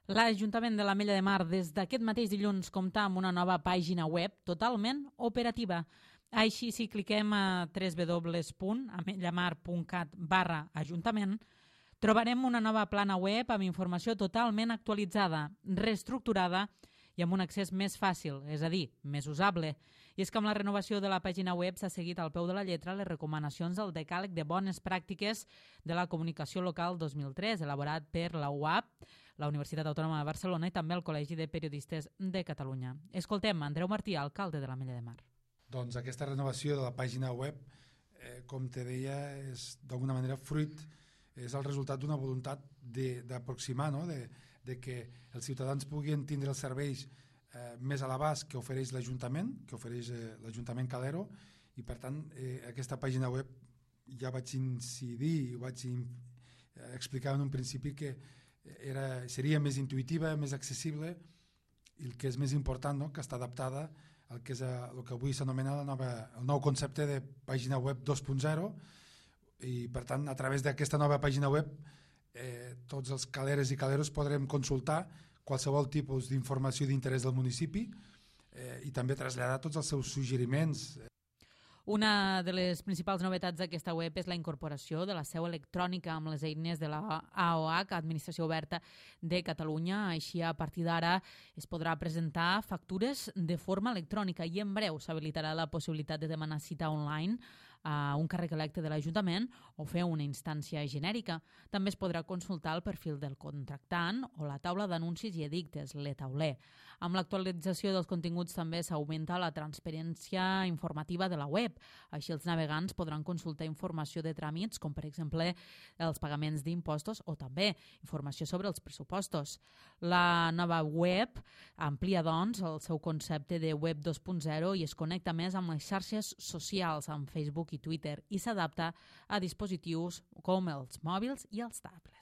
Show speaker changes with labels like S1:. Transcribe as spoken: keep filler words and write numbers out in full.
S1: L'Ajuntament de l'Ametlla de Mar des d'aquest mateix dilluns compta amb una nova pàgina web totalment operativa. Així, si cliquem a w w w punt ametllamar punt cat barra ajuntament, trobarem una nova plana web amb informació totalment actualitzada, reestructurada i amb un accés més fàcil, és a dir, més usable. I és que amb la renovació de la pàgina web s'ha seguit al peu de la lletra les recomanacions del Decàleg de Bones Pràctiques de la Comunicació Local dos mil tres, elaborat per la U A P, la Universitat Autònoma de Barcelona i també el Col·legi de Periodistes de Catalunya. Escoltem Andreu Martí, alcalde de l'Ametlla de Mar.
S2: Doncs aquesta renovació de la pàgina web, eh, com te deia, és d'alguna manera fruit, és el resultat d'una voluntat d'aproximar, no? de, de que els ciutadans puguin tindre els serveis eh, més a l'abast que ofereix l'Ajuntament, que ofereix eh, l'Ajuntament Calero, i per tant eh, aquesta pàgina web ja vaig incidir i vaig in, eh, explicar en un principi que era, seria més intuïtiva, més accessible, i el que és més important, no? que està adaptada al que és a, el que avui s'anomena la nova, el nou concepte de pàgina web dos punt zero, i per tant a través d'aquesta nova pàgina web eh, tots els caleres i caleros podrem consultar qualsevol tipus d'informació d'interès del municipi eh, i també traslladar tots els seus suggeriments.
S1: Una de les principals novetats d'aquesta web és la incorporació de la seu electrònica amb les eines de la A O H, Administració Oberta de Catalunya. Així, a partir d'ara, es podrà presentar factures de forma electrònica i en breu s'habilitarà la possibilitat de demanar cita online a un càrrec electe de l'Ajuntament o fer una instància genèrica. També es podrà consultar el perfil del contractant o la taula d'anuncis i edictes, l'e-tauler. Amb l'actualització dels continguts també s'augmenta la transparència informativa de la web. Així els navegants podran consultar informació de tràmits com per exemple els pagaments d'impostos o també informació sobre els pressupostos. La nova web amplia doncs el seu concepte de web dos punt zero i es connecta més amb les xarxes socials, amb Facebook i Twitter, i s'adapta a dispositius com els mòbils i els tablets.